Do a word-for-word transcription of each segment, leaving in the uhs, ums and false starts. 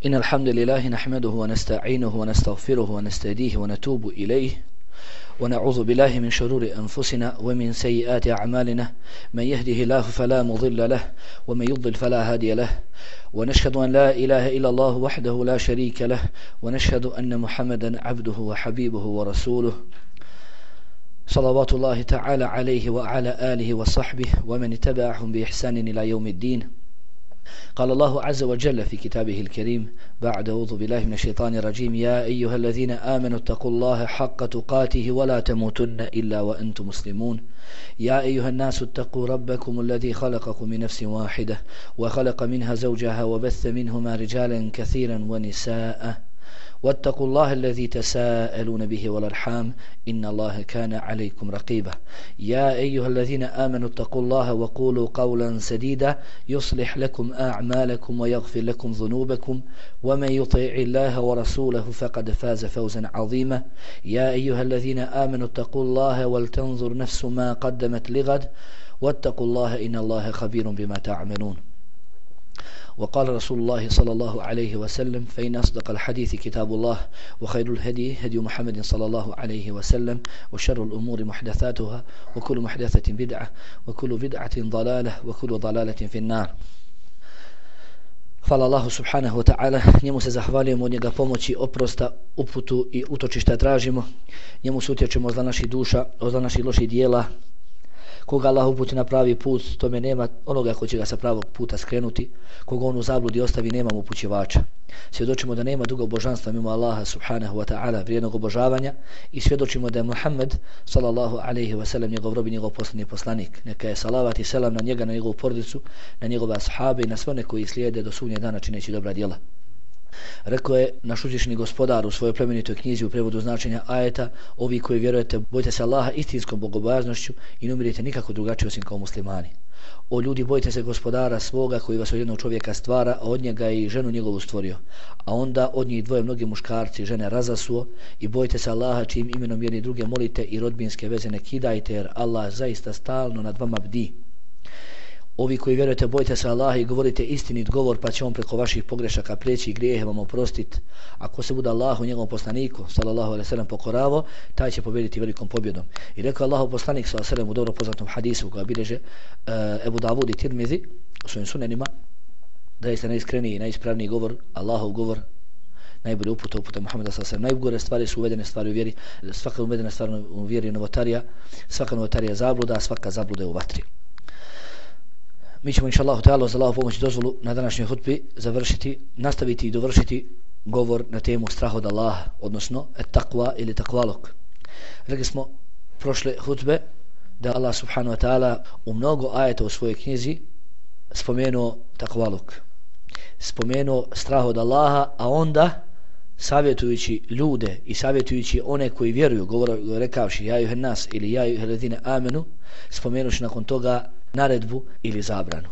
إن الحمد لله نحمده ونستعينه ونستغفره ونستهديه ونتوب إليه ونعوذ بالله من شرور أنفسنا ومن سيئات أعمالنا من يهده الله فلا مضل له ومن يضلل فلا هادي له ونشهد أن لا إله إلا الله وحده لا شريك له ونشهد أن محمدا عبده وحبيبه ورسوله صلوات الله تعالى عليه وعلى آله وصحبه ومن تبعهم بإحسان إلى يوم الدين. قال الله عز وجل في كتابه الكريم بعد أعوذ بالله من الشيطان الرجيم يا أيها الذين آمنوا اتقوا الله حق تقاته ولا تموتن إلا وأنتم مسلمون يا أيها الناس اتقوا ربكم الذي خلقكم من نفس واحدة وخلق منها زوجها وبث منهما رجالا كثيرا ونساء واتقوا الله الذي تساءلون به والأرحام إن الله كان عليكم رقيبا يا أيها الذين آمنوا اتقوا الله وقولوا قولا سديدا يصلح لكم أعمالكم ويغفر لكم ذنوبكم ومن يطع الله ورسوله فقد فاز فوزا عظيما يا أيها الذين آمنوا اتقوا الله ولتنظر نفس ما قدمت لغد واتقوا الله إن الله خبير بما تعملون. وقال رسول الله صلى الله عليه وسلم فإن أصدق الحديث كتاب الله وخير الهدي هدي محمد صلى الله عليه وسلم وشر الأمور محدثاتها وكل محدثة بدعة وكل بدعة ضلالة وكل ضلالة في النار. Hvala Allahu subhanahu wa ta'ala, njemu se zahvaljujemo, od njega pomoći, oprosta, uputu i utočišta tražimo, njemu se utječemo od naših duša, od naših loših dijela. Koga Allah uputi na pravi put, tome nema onoga ko će ga sa pravog puta skrenuti. Koga on u zabludi ostavi, nema upućivača. Svjedočimo da nema drugog božanstva mimo Allaha subhanahu wa ta'ala, vrijednog obožavanja, i svjedočimo da je Muhammed sallallahu alaihi wa sallam njegov rob i njegov posljednji poslanik. Neka je salavat i selam na njega, na njegovu porodicu, na njegove ashabe i na sve one koji slijede do sudnjeg dana čineći dobra djela. Rekao je naš uzvišeni gospodar u svojoj plemenitoj knjizi u prevodu značenja ajeta: ovi koji vjerujete, bojte se Allaha istinskom bogobojaznošću i ne umirite nikako drugačije osim kao muslimani. O ljudi, bojte se gospodara svoga koji vas od jednog čovjeka stvara, a od njega i ženu njegovu stvorio, a onda od njih dvoje mnogi muškarci žene razasuo, i bojte se Allaha čijim imenom jedni druge molite i rodbinske veze ne kidajte, jer Allah zaista stalno nad vama bdi. Ovi koji vjerujete, bojte se Allaha i govorite istinit govor, pa će on preko vaših pogrešaka prijeći i grijehe vam oprostiti. Ako se bude Allahu njegovom poslaniku sallallahu alejhi ve sellem pokoravo, taj će pobjediti velikom pobjedom. I rekao Allahu poslanik sallallahu alejhi ve sellem u dobro poznatom hadisu koga bilježe uh, Ebu Davud i Tirmizi u svojim sunenima, da je najiskreniji i najispravniji govor Allahov govor, najbolje uputa uputa Muhameda sallallahu alejhi ve sellem. Najgore stvari su uvedene stvari u vjeri, svaka uvedena stvar u vjeri je novotarija, svaka novotarija je zabluda, a svaka zabluda je u vatri. Mi ćemo inšallahu ta'ala za Allahu pomoć i dozvolu na današnjoj hutbi završiti, nastaviti i dovršiti govor na temu strah od Allaha, odnosno et-taqwa ili takvaluk. Rekli smo prošle hutbe da Allah subhanahu wa ta'ala u mnogo ajeta u svojoj knjizi spomenuo takvaluk, spomenuo strah od Allaha, a onda savjetujući ljude i savjetujući one koji vjeruju, govor, rekavši ja juhen nas ili ja juhen ledine amenu, spomenuši nakon toga naredbu ili zabranu.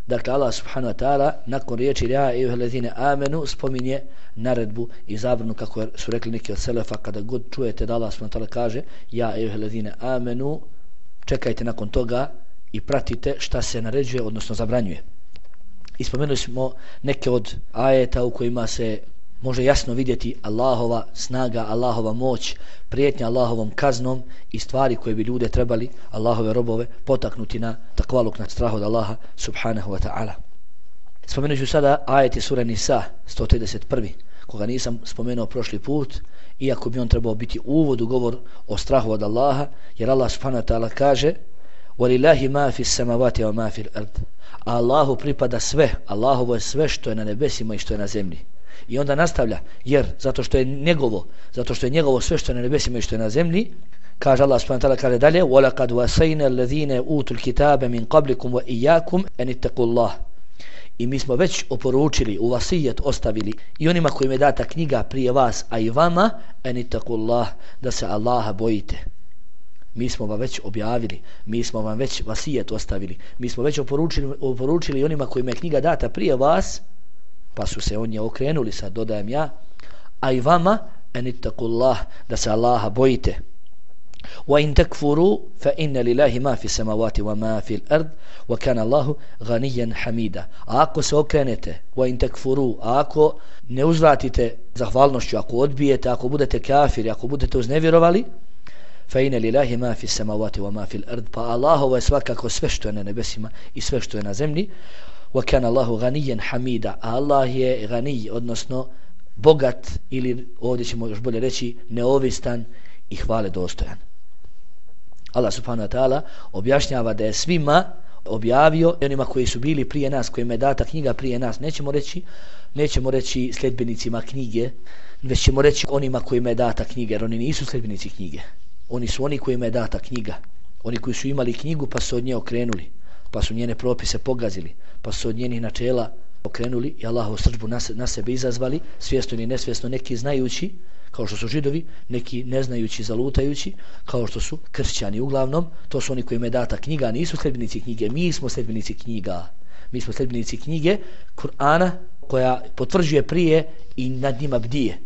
Dakle, Allah subhanahu wa ta'ala nakon riječi ja juhen ledine amenu spominje naredbu i zabranu, kako su rekli neki od selefa, kada god čujete da Allah subhanahu wa ta'ala kaže ja juhen ledine amenu, čekajte nakon toga i pratite šta se naređuje, odnosno zabranjuje. I spomenuli smo neke od ajeta u kojima se može jasno vidjeti Allahova snaga, Allahova moć, prijetnja Allahovom kaznom i stvari koje bi ljude trebali, Allahove robove, potaknuti na takvaluk, na strah od Allaha subhanahu wa ta'ala. Spomenut ću sada ajeti sura Nisa sto trideset prvi, koga nisam spomenuo prošli put, iako bi on trebao biti uvod u govor o strahu od Allaha, jer Allah subhanahu wa ta'ala kaže وَلِلَّهِ مَا فِي السَّمَوَاتِ وَمَا فِي الْأَرْضِ, a Allahu pripada sve, Allahovo je sve što je na nebesima i što je na zemlji. I onda nastavlja, jer zato što je njegovo, zato što je njegovo sve što je na nebesima i što je na zemlji, kaže Allah subhanahu wa ta'ala, kaže dalje وَلَقَدْ وَسَيْنَا الَّذِينَ أُوتُوا الْكِتَابَ مِنْ قَبْلِكُمْ وَإِيَّاكُمْ أَنِ اتَّقُوا اللَّهَ, i mi smo već oporučili, u vasijet ostavili i onima kojima je data knjiga prije vas, a i vama, أَنِ اتَّقُوا اللَّهَ, da se Allaha bojite. Mi smo vam već objavili, mi smo vam već vasijet ostavili, mi smo već oporučili, oporučili onima kojima je knjiga data prije vas, pa su se oni okrenuli, sad dodajem ja, a i vama enittakullah, da se Allaha bojite. وَإِن تَكْفُرُوا فَإِنَّ لِلَّهِ مَا فِي السَّمَاوَاتِ وَمَا فِي الْأَرْضِ وَكَانَ اللَّهُ غَنِيًّا حَمِيدًا. A ako se okrenete, وَإِن تَكْفُرُوا, a ako ne uzvratite zahvalnošću, ako odbijete, ako budete kafiri, ako budete uznevjerovali, فَإِنَّ لِلَّهِ مَا فِي السَّمَاوَاتِ وَمَا فِي الْأَرْضِ, pa Allahovo je svakako sve što je na nebesima i sve što je na zemlji. وَكَانَ اللَّهُ غَنِيًّا حَمِيدًا, a Allah je gani, odnosno bogat, ili ovdje ćemo još bolje reći neovistan i hvale dostojan. Allah subhanahu wa ta'ala objašnjava da je svima objavio, onima koji su bili prije nas, kojima je data knjiga prije nas, nećemo reći, nećemo reći sljedbenicima knjige, već ćemo reći onima kojima je data knjiga, jer oni nisu sljedbenici knjige. Oni su oni kojima je data knjiga. Oni koji su imali knjigu pa su od nje okrenuli, pa su njene propise pogazili, pa su od njenih načela okrenuli i Allahovu srdžbu na, na sebe izazvali, svjesno ili nesvjesno, neki znajući, kao što su židovi, neki neznajući, zalutajući, kao što su kršćani. Uglavnom, to su oni kojima je data knjiga, nisu sljedbenici knjige, mi smo sljedbenici knjiga. Mi smo sljedbenici knjige Kur'ana, koja potvrđuje prije i nad njima bdije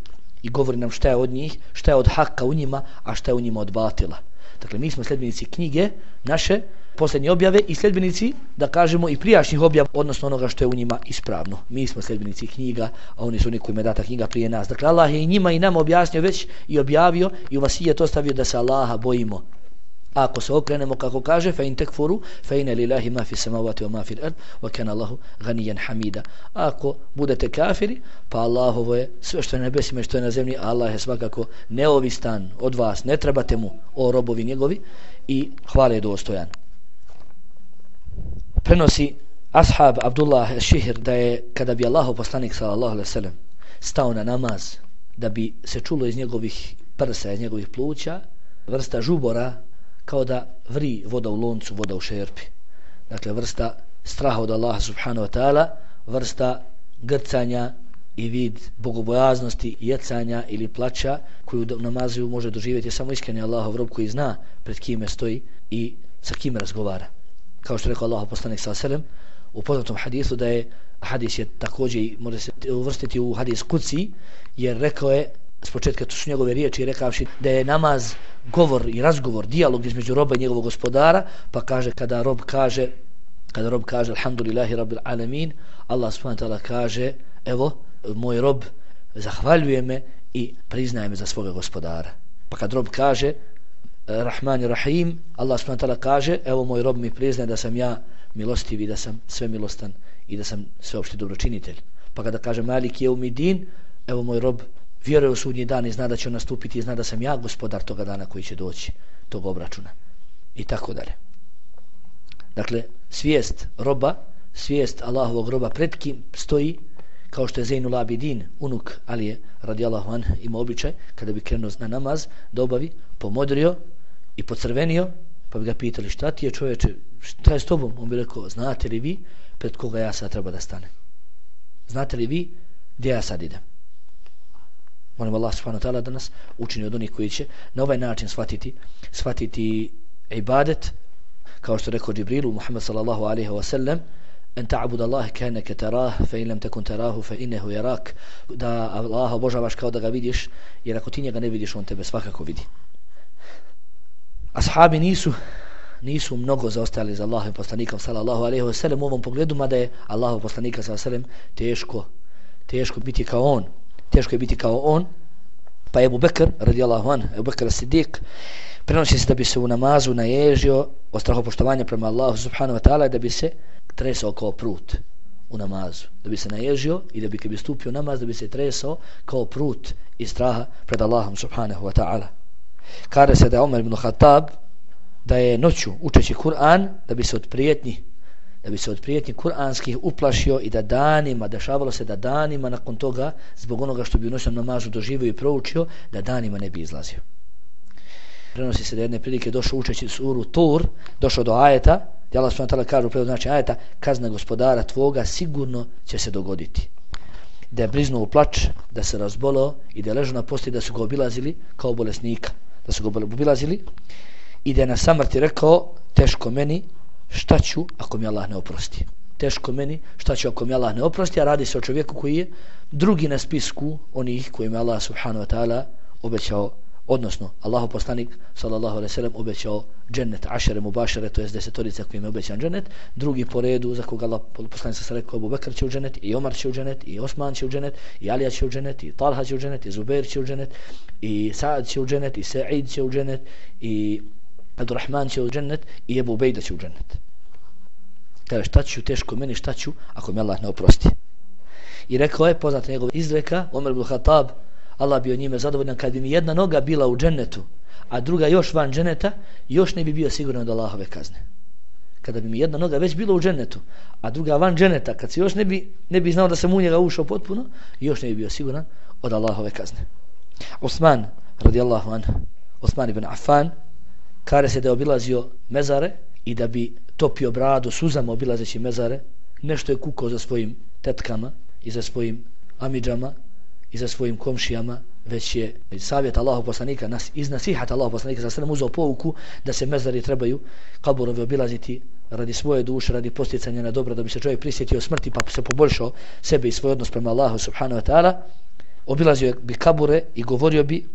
i govori nam šta je od njih, šta je od haka u njima, a šta je u njima od batila. Dakle, mi smo sljedbenici knjige naše, posljednje objave, i sljedbenici, da kažemo, i prijašnjih objava, odnosno onoga što je u njima ispravno. Mi smo sljedbenici knjiga, a oni su oni kojima je data knjiga prije nas. Dakle, Allah je i njima i nama objasnio već i objavio i u vasijet ostavio da se Allaha bojimo. A ako se okrenemo, kako kaže, fa in tekfuru, fa inna lillahi ma fi samawati wa ma fi al-ard wa kana Allahu ganiyan hamida. Ako budete kafiri, pa Allahovo je sve što je na nebesima i što je na zemlji, Allah je svakako neovistan od vas, ne trebate mu, o robovi njegovi, i hvale dostojan. Prenosi ashab Abdullah al-Šihr da je, kada bi Allahov poslanik sallallahu alejhi ve sellem stao na namaz, da bi se čulo iz njegovih prsa, iz njegovih pluća, vrsta žubora, kao da vri voda u loncu, voda u šerpi. Dakle, vrsta straha od Allaha subhanahu wa ta'ala, vrsta grcanja i vid bogobojaznosti, jecanja ili plaća koju u namazu može doživjeti samo iskreni Allahov rob koji zna pred kime stoji i sa kime razgovara. Kao što je rekao Allahov poslanik sallallahu alejhi ve sellem u poznatom hadisu, da je hadis je također može se uvrstiti u hadis kuci, jer rekao je s početka, to su njegove riječi, rekavši da je namaz govor i razgovor, dijalog između roba i njegovog gospodara, pa kaže kada rob kaže kada rob kaže alhamdulillahi rabbil alamin, Allah subhanahu wa ta'ala kaže evo moj rob zahvaljuje me i priznaje me za svoga gospodara. Pa kad rob kaže Rahman i Rahim, Allah subhanahu wa ta'ala kaže evo moj rob mi priznaje da sam ja milostiv i da sam sve milostan i da sam sveopšti dobročinitelj. Pa kada kaže Malik Jeumidin, evo moj rob vjeruje u sudnji dan i zna da će on nastupiti i zna da sam ja gospodar toga dana koji će doći, tog obračuna i tako dalje. Dakle, svijest roba, svijest Allahovog roba pred kim stoji, kao što je Zainul Abidin, unuk Alije radijallahu anh, ima običaj kada bi krenuo na namaz da obavi, pomodrio i pocrvenio, pa bi ga pitali šta ti je čovječe, šta je s tobom? On bi rekao, znate li vi pred koga ja sad treba da stane? Znate li vi gdje ja sad idem? Molim Allah subhanahu wa ta'ala da nas učini od onih koji će na ovaj način shvatiti, shvatiti ibadet, kao što rekao Džibrilu Muhammed sallallahu alaihi wa sallam, en ta'bud Allah kanaka tarah fa in lam takun tarahu fa innahu yarak, da Allah obožavaš kao da ga vidiš, jer ako ti njega ne vidiš, on tebe svakako vidi. Ashabi nisu nisu mnogo zaostali za Allahovim poslanikom sallallahu alaihi wa sallam u ovom pogledu, mada je Allahov poslanika sallallahu alaihi wa sallam teško teško biti kao on teško je biti kao on. Pa je Ebu Bekr radijallahu anh, Ebu Bekr as-Siddiq, prenosi se da bi se u namazu naježio od strahopoštovanja prema Allahu subhanahu wa ta'ala, da bi se tresao kao prut u namazu, da bi se naježio i da bi kad bi stupio namaz da bi se tresao kao prut iz straha pred Allahom subhanahu wa ta'ala. Kaže se da je Omer ibn Khattab da je noću učeći Kur'an da bi se od prijetnji da bi se od prijetnji kuranskih uplašio i da danima, dešavalo se da danima nakon toga, zbog onoga što bi u noćnom namazu doživio i proučio, da danima ne bi izlazio. Prenosi se da jedne prilike došao učeći suru Tur, došao do ajeta, gdje Allah subhanahu wa ta'ala kaže u prevodu znači ajeta, kazna gospodara tvoga sigurno će se dogoditi. Da je bliznuo u plač, da se razbolao i da je ležao na postelji, da su ga obilazili kao bolesnika, da su ga obilazili i da je na samrti rekao, teško meni, šta ću ako mi Allah ne oprosti? Teško meni, šta ću ako mi Allah ne oprosti? A radi se o čovjeku koji je drugi na spisku onih kojima Allah subhanahu wa ta'ala obećao, Odnosno, Allahu poslanik sallallahu alejhi ve sellem obećao džennet ašere mubašere, to jest desetorica kojim je obećan džennet. Drugi po redu za koga Allah poslanik se rekao Abu Bekr će u džennet, i Omar će u džennet, i Osman će u džennet, i Alija će u džennet, i Talha će u džennet, i Zubair će u džennet, i Sa'ad će u džennet, i Sa'id će u džennet, i Abdurrahman će u džennet, i Ebu Ubejda će u džennet. Kaže, šta ću teško meni, šta ću ako mi Allah ne oprosti. I rekao je, poznata njegova izreka, Omer ibn Khattab, Allah bio njime zadovoljan, kad bi mi jedna noga bila u džennetu, a druga još van dženneta, još ne bi bio siguran od Allahove kazne. Kada bi mi jedna noga već bila u džennetu, a druga van dženneta, kad se još ne bi, ne bi znao da sam u njega ušao potpuno, još ne bi bio siguran od Allahove kazne. Osman, radijallahu anhu, Osman ibn Affan, kare se da je obilazio mezare i da bi topio bradu suzama obilazeći mezare, nešto je kukao za svojim tetkama i za svojim amidžama i za svojim komšijama, već je savjet Allahov poslanika, nas, iz nasihat Allahov poslanika sa sredem uzeo pouku da se mezari trebaju kaburovi obilaziti radi svoje duše, radi posticanja na dobro, da bi se čovjek prisjetio smrti pa se poboljšao sebe i svoj odnos prema Allahu subhanahu wa ta'ala. Obilazio bi kabure i govorio bi,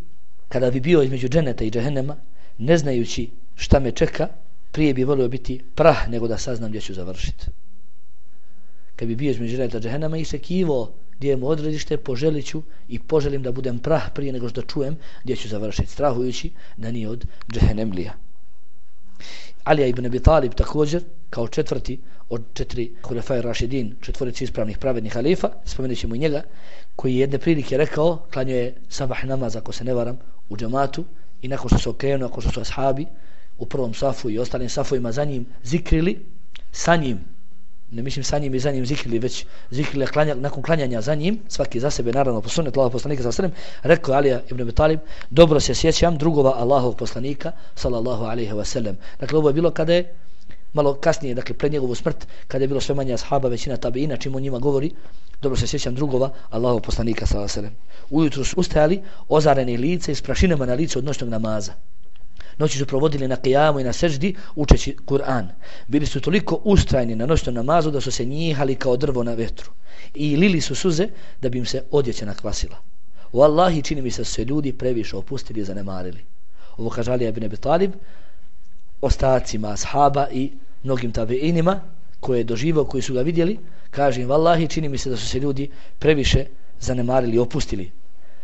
kada bi bio između dženeta i džehennema, ne znajući šta me čeka, prije bi volio biti prah nego da saznam gdje ću završiti. Kad bi bio između dženeta i džehennema i se kivo gdje je mu odredište, poželit ću i poželim da budem prah prije nego što čujem gdje ću završiti, strahujući da nije od džehennemlija. Alija ibn Abi Talib također, kao četvrti od četiri Hulefaj Rašidin, četvorici ispravnih pravednih halifa, spomenut ćemo i njega, koji jedne prilike rekao, klanio je sabah namaz, ako se ne varam, u džamatu, i nakon što se okrenuo, nakon što su ashabi u prvom safu i ostalim safovima za njim zikrili, sa njim, ne mislim sa njim i za njim zikrili, već zikrili klanja, nakon klanjanja za njim, svaki za sebe, naravno po sunnetu Allahov poslanika sallallahu alejhi ve sellem, rekao Alija ibn Abi Talib, dobro se sjećam drugova Allahovog poslanika sallallahu alejhi ve sellem. Dakle, ovo je bilo kada je malo kasnije, dakle pred njegovu smrt, kada je bilo sve manje ashaba, većina tabiina, čim on njima govori, dobro se sjećam drugova Allahovog poslanika sallallahu alejhi ve sellem. Ujutro su ustajali ozareni lice i s prašinama na licu od noćnog namaza. Noći su provodili na kijamu i na seždi učeći Kur'an. Bili su toliko ustrajni na noćnom namazu da su se njihali kao drvo na vetru. I lili su suze da bi im se odjeća nakvasila. Wallahi, čini mi se su se ljudi previše opustili i zanemarili. Ovo kaže Alija ibn Abi Talib ostacima ashaba i mnogim tabiinima koje je doživao, koji su ga vidjeli. Kaže im, wallahi, čini mi se da su se ljudi previše zanemarili i opustili.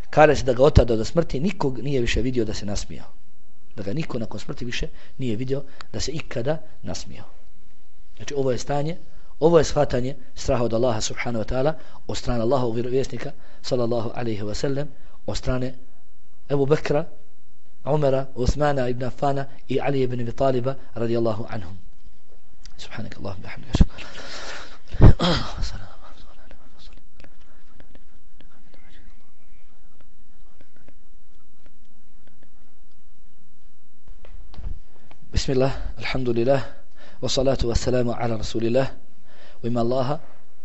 Kaže se da ga otada do smrti nikog nije više vidio da se nasmijao. Da ga niko nakon smrti više nije vidio da se ikada nasmijao. Znači ovo je stanje, ovo je shvatanje straha od Allaha subhanahu wa ta'ala od strane Allahovog vjerovjesnika sallallahu alaihi wa sallam, od strane Ebu Bekra, Umara, Uthmana ibn Affana i Ali ibn Abi Taliba radijallahu anhum. Subhanak Allahum bihamdika. Bismillah, alhamdulillah, wa salatu wa salamu ala rasulillah, u ime Allaha,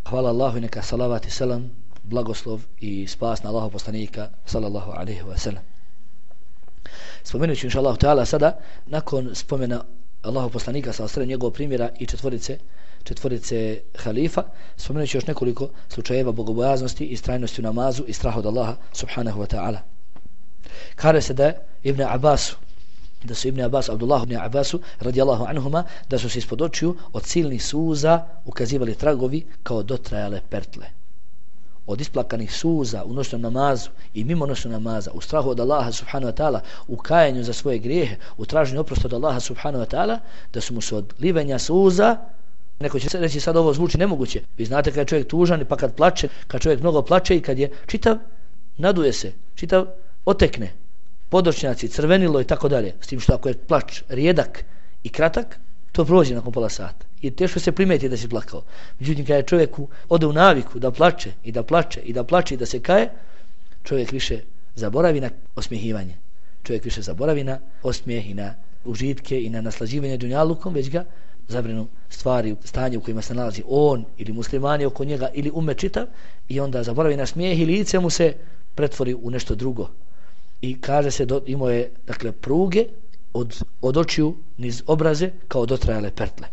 hvala Allahu i neka salavat i selam, blagoslov i spas na Allahov poslanika sallallahu alaihi wa sallam. Spomenut ću inša Allahu ta'ala sada, nakon spomena Allahov poslanika sallallahu alaihi wa sallam, njegovog primjera i četvorice, četvorice halifa, spomenut ću još nekoliko slučajeva bogobojaznosti i strajnosti u namazu i straha od Allaha subhanahu wa ta'ala. Kaže se da je Ibn Abbasu, da su Ibn Abbas, Abdullah ibn Abbasu radijallahu anhuma, da su se ispod očiju od silnih suza ukazivali tragovi kao dotrajale pertle. Od isplakanih suza u noćnom namazu i mimo noćnog namaza, u strahu od Allaha subhanahu wa ta'ala, u kajanju za svoje grijehe, u traženju oprosta od Allaha subhanahu wa ta'ala, da su mu se od livenja suza, neko će reći sad ovo zvuči nemoguće. Vi znate kad je čovjek tužan pa kad plače, kad čovjek mnogo plače i kad je čitav, naduje se, čitav otekne, podočnjaci, crvenilo i tako dalje. S tim što ako je plač rijedak i kratak, to prođe nakon pola sata. I teško se primeti da si plakao. Međutim, kada je čovjeku ode u naviku da plače i da plače i da plače i da se kaje, čovjek više zaboravi na osmijehivanje. Čovjek više zaboravi na osmijeh i na užitke i na naslađivanje dunjalukom, već ga zabrinu stvari, stanje u kojima se nalazi on ili muslimani oko njega ili umet čitav, i onda zaboravi na smijeh i lice mu se pretvori u nešto drugo. I kaže se, do, imao je dakle pruge od, od očiju niz obraze kao dotrajale pertle.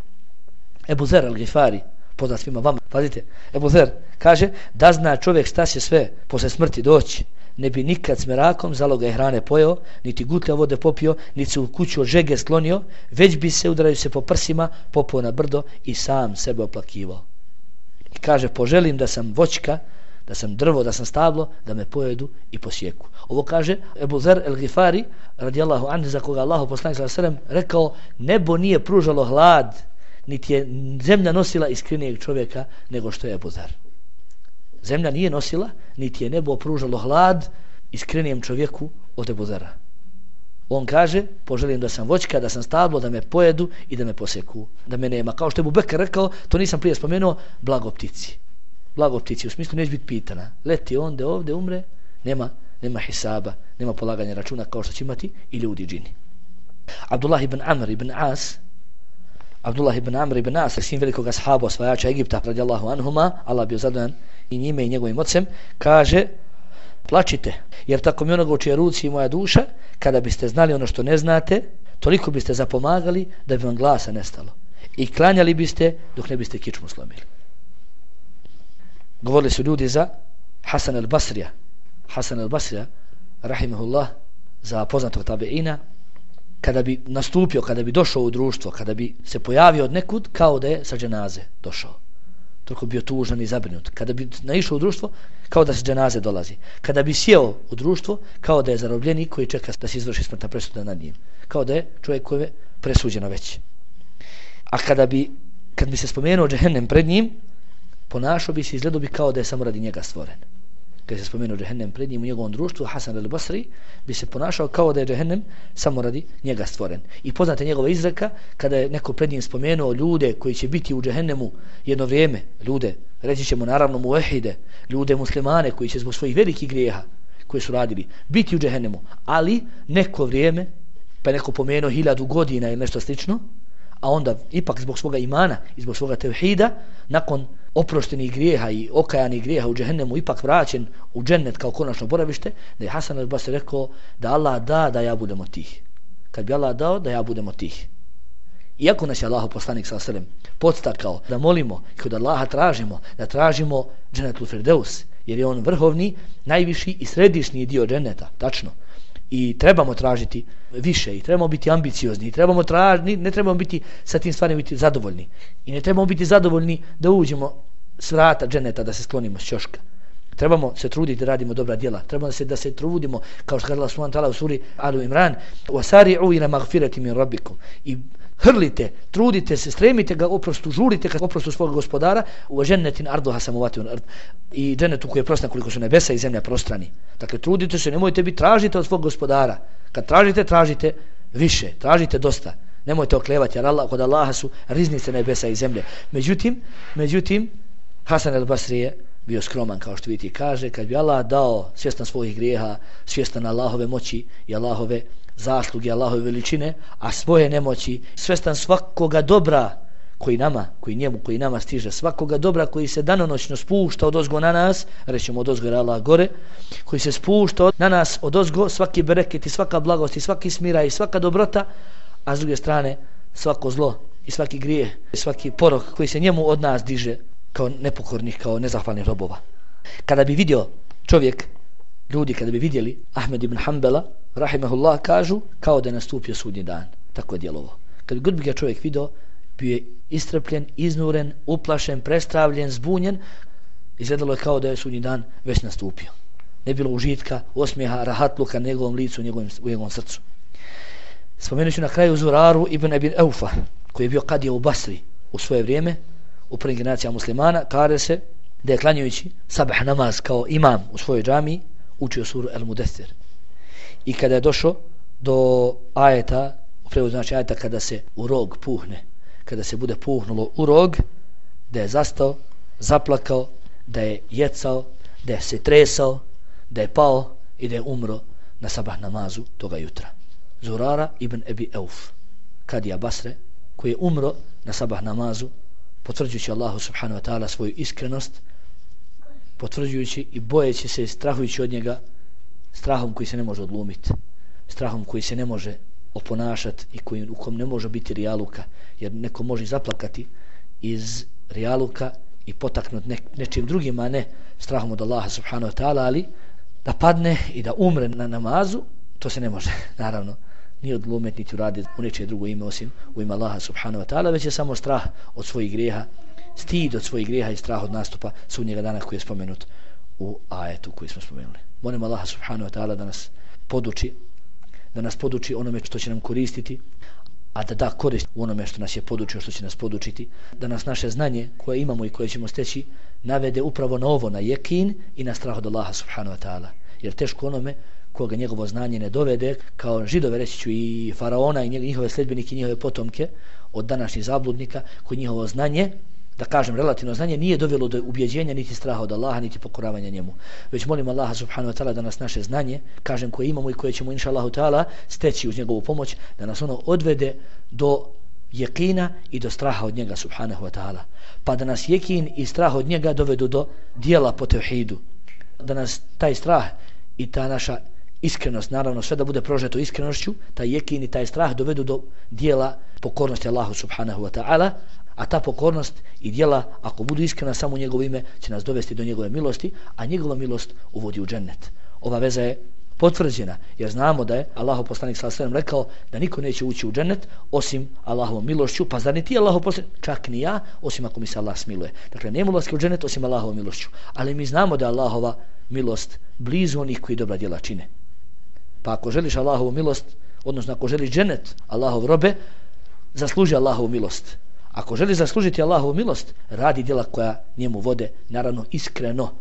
Ebu Zer al-Gifari, poznat svima vama, pazite, Ebu Zer kaže da zna čovjek šta će sve posle smrti doći, ne bi nikad s merakom zaloga hrane pojeo, niti gutlja vode popio, niti se u kuću od žege sklonio, već bi se, udaraju se po prsima, popao na brdo i sam sebe oplakivao. I kaže, poželim da sam voćka, da sam drvo, da sam stablo, da me pojedu i posjeku. Ovo kaže Ebu Zer el-Gifari, radijallahu anhu, za koga Allahu poslanik sallallahu alejhi ve sellem rekao, nebo nije pružalo hlad, niti je zemlja nosila iskrenijeg čovjeka nego što je Ebu Zer. Zemlja nije nosila, niti je nebo pružalo hlad iskrenijem čovjeku od Ebu Zera. On kaže, poželim da sam voćka, da sam stablo, da me pojedu i da me poseku, da me nema. Kao što je Ebu Bekr rekao, to nisam prije spomenuo, blago ptici. Blago ptici, u smislu neće biti pitana. Leti onda ovdje, umre, nema, nema hisaba, nema polaganja računa kao što će imati i ljudi džini. Abdullah ibn Amr ibn As, Abdullah ibn Amr ibn As, sin velikog ashaba, osvajača Egipta, radijallahu anhuma, Allah bio zadovoljan i njime i njegovim ocem, kaže, plačite, jer tako mi onoga u čije ruci i moja duša, kada biste znali ono što ne znate, toliko biste zapomagali da bi vam glasa nestalo. I klanjali biste dok ne biste kičmu slomili. Govorili su ljudi za Hasan al-Basrija. Hasan al-Basrija, rahimahullah, za poznatog tabeina, kada bi nastupio, kada bi došao u društvo, kada bi se pojavio od nekud, kao da je sa dženaze došao. Toliko bio tužan i zabrinut. Kada bi naišao u društvo, kao da se dženaze dolazi. Kada bi sjeo u društvo, kao da je zarobljenik koji čeka da se izvrši smrtna presuda nad njim. Kao da je čovjek koji je presuđeno već. A kada bi, kad bi se spomenuo džehennem pred njim, ponašao bi se, izgledao bi kao da je samo radi njega stvoren. Kada se spomenuo džehennem pred njim u njegovom društvu, Hasan al-Basri bi se ponašao kao da je džehennem samo radi njega stvoren. I poznate njegova izreka, kada je neko pred njim spomenuo ljude koji će biti u džehennemu jedno vrijeme, ljude, reći ćemo naravno muehide, ljude muslimane koji će zbog svojih velikih grijeha koje su radili biti u džehennemu, ali neko vrijeme, pa neko pomenuo hiljadu godina ili nešto slično, a onda ipak zbog svoga imana i zbog svoga tevhida, nakon oproštenih grijeha i okajanih grijeha u džehennemu ipak vraćen u džennet kao konačno boravište, da je Hasan al-Basri rekao da Allah da da ja budem od tih. Kad bi Allah dao da ja budem od tih. Iako nas je Allah poslanik sallallahu alejhi ve sellem podstakao da molimo i kod Allaha tražimo, da tražimo džennetul firdeus, jer je on vrhovni, najviši i središnji dio dženneta, tačno. I trebamo tražiti više i trebamo biti ambiciozni i trebamo tražiti, ne trebamo biti sa tim stvarima biti zadovoljni i ne trebamo biti zadovoljni da uđemo s vrata dženeta, da se sklonimo s ćoška. Trebamo se truditi da radimo dobra djela, trebamo se da se trudimo, kao što kaže Allah subhanahu wa ta'ala u suri Alu Imran, wasari'u ila maghfirati min rabbikum, i hrlite, trudite se, stremite ga oprostu, žurite ka oprostu svog gospodara, u džennetin arduha samawati wal ard, i džennetu koji je prostan koliko su nebesa i zemlja prostrani. Dakle, trudite se, nemojte biti, tražite od svog gospodara. Kad tražite, tražite više, tražite dosta. Nemojte oklevati, jer Allah, kod Allaha su riznice nebesa i zemlje. Međutim, međutim, Hasan al-Basri je bio skroman, kao što vidite, kaže, kad bi Allah dao, svjestan svojih grijeha, svjestan Allahove moći i Allahove zasluge, Allahove veličine, a svoje nemoći, svjestan svakoga dobra koji nama, koji njemu, koji nama stiže, svakoga dobra koji se danonoćno spušta od ozgo na nas, rećemo od ozgo jer Allah gore, koji se spušta na nas od ozgo, svaki bereket i svaka blagost i svaki smira i svaka dobrota, a s druge strane svako zlo i svaki grijeh i svaki porok koji se njemu od nas diže kao nepokornih, kao nezahvalnih robova. Kada bi vidio čovjek, ljudi kada bi vidjeli Ahmed ibn Hanbala, rahimahullah, kažu kao da je nastupio sudnji dan. Tako je djelovo. Kad god bi ga čovjek vidio, bio je istrpljen, iznuren, uplašen, prestravljen, zbunjen, izgledalo je kao da je sudnji dan već nastupio. Ne bilo užitka, osmijeha, rahatluka na njegovom licu, u njegovom, u njegovom srcu. Spomenut ću na kraju Zuraru ibn Ebin Eufa, koji je bio kadija u Basri u svoje vrijeme, u prvim generacijama muslimana, kaže se da je klanjajući sabah namaz kao imam u svojoj džamiji učio suru El Mudethir. I kada je došao do ajeta, u prevodu znači ajeta kada se u rog puhne, kada se bude puhnulo u rog, da je zastao, zaplakao, da je jecao, da je se tresao, da je pao i da je umro na sabah namazu toga jutra. Zurara ibn Ebi Euf, kadija Basre, koji je umro na sabah namazu, potvrđujući Allahu subhanahu wa ta'ala svoju iskrenost, potvrđujući i bojeći se, strahujući od njega, strahom koji se ne može odlumiti, strahom koji se ne može oponašati i koji, u kom ne može biti rijaluka, jer neko može zaplakati iz rijaluka i potaknuti ne, nečim drugim, a ne strahom od Allaha subhanahu wa ta'ala, ali da padne i da umre na namazu, to se ne može, naravno, ni odglumet, niti uraditi u nečije drugo ime osim u ime Allaha subhanahu wa ta'ala, već je samo strah od svojih grijeha, stid od svojih grijeha i strah od nastupa sudnjega dana koji je spomenut u ajetu koji smo spomenuli. Molim Allaha subhanahu wa ta'ala da nas poduči, da nas poduči onome što će nam koristiti, a da da korist u onome što nas je podučio, što će nas podučiti, da nas naše znanje koje imamo i koje ćemo steći navede upravo na ovo, na jekin i na strah od Allaha subhanahu wa ta'ala. Jer teško onome koga njegovo znanje ne dovede, kao Židove, reći ću, i faraona i njihove sledbenike i njihove potomke od današnjih zabludnika, koji njihovo znanje, da kažem relativno znanje, nije dovelo do ubjeđenja niti straha od Allaha niti pokoravanja njemu. Već molim Allaha subhanahu wa ta'ala da nas naše znanje, kažem, koje imamo i koje ćemo inša Allahu ta'ala steći uz njegovu pomoć, da nas ono odvede do jekina i do straha od njega subhanahu wa ta'ala. Pa da nas jekin i strah od njega dovedu do dijela po tevhidu. Da nas taj strah i ta naša iskrenost, naravno sve da bude prožeto iskrenošću, taj jekin i taj strah dovedu do dijela pokornosti Allahu subhanahu wa ta'ala, a ta pokornost i dijela, ako budu iskrena samo u njegovo ime, će nas dovesti do njegove milosti, a njegova milost uvodi u džennet. Ova veza je potvrđena, jer znamo da je Allahov poslanik sallallahu alejhi ve sellem rekao da niko neće ući u džennet osim Allahovom milošću, pa zar ni ti Allahov poslanik, čak ni ja, osim ako mi se Allah smiluje. Dakle, nema ulaska u džennet osim Allahovom milošću, ali mi znamo da je Allahova milost blizu onih koji dobra djela čine. Pa ako želiš Allahovu milost, odnosno ako želiš džennet, Allahov robe, zasluži Allahovu milost. Ako želiš zaslužiti Allahovu milost, radi djela koja njemu vode, naravno iskreno.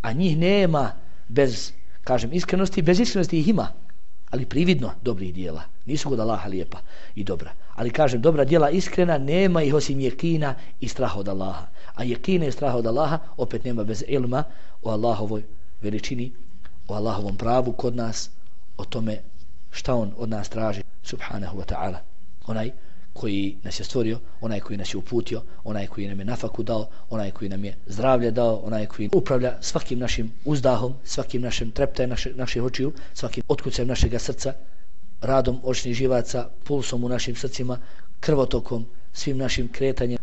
A njih nema bez, kažem, iskrenosti, bez iskrenosti ih ima, ali prividno dobrih djela. Nisu kod Allaha lijepa i dobra. Ali kažem, dobra djela iskrena, nema ih osim jekina i straha od Allaha. A jekina i straha od Allaha opet nema bez ilma o Allahovoj veličini, o Allahovom pravu kod nas, o tome šta on od nas traži, subhanahu wa ta'ala. Onaj koji nas je stvorio, onaj koji nas je uputio, onaj koji nam je nafaku dao, onaj koji nam je zdravlje dao, onaj koji upravlja svakim našim uzdahom, svakim našim treptajem naše, naših očiju, svakim otkucajem našeg srca, radom očnih živaca, pulsom u našim srcima, krvotokom, svim našim kretanjem,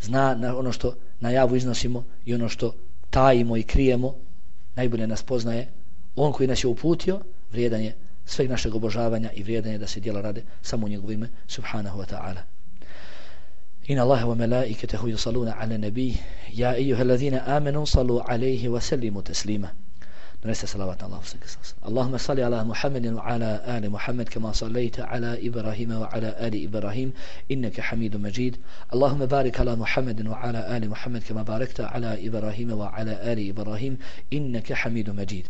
zna na ono što na javu iznosimo i ono što tajimo i krijemo, najbolje nas poznaje. On koji nas je uputio, vrijedan je sveg našeg obožavanja i vrijedan je da se djela rade samo u njegovo ime, subhanahu wa ta'ala. Inna Allaha wa malaikatahu yusalluna ala nabi ya ayyuhalladhina amanu sallu alayhi wa sallimu taslima. Doneste salavat na Allahu sallallahu alaihi wa sallam. Allahumma salli ala Muhammadin wa ala ali Muhammad kama sallaita ala Ibrahim wa ala ali Ibrahim innaka Hamidum Majid. Allahumma barik ala Muhammadin wa ala ali Muhammad kama barakta ala Ibrahim wa ala ali Ibrahim innaka Hamidum Majid.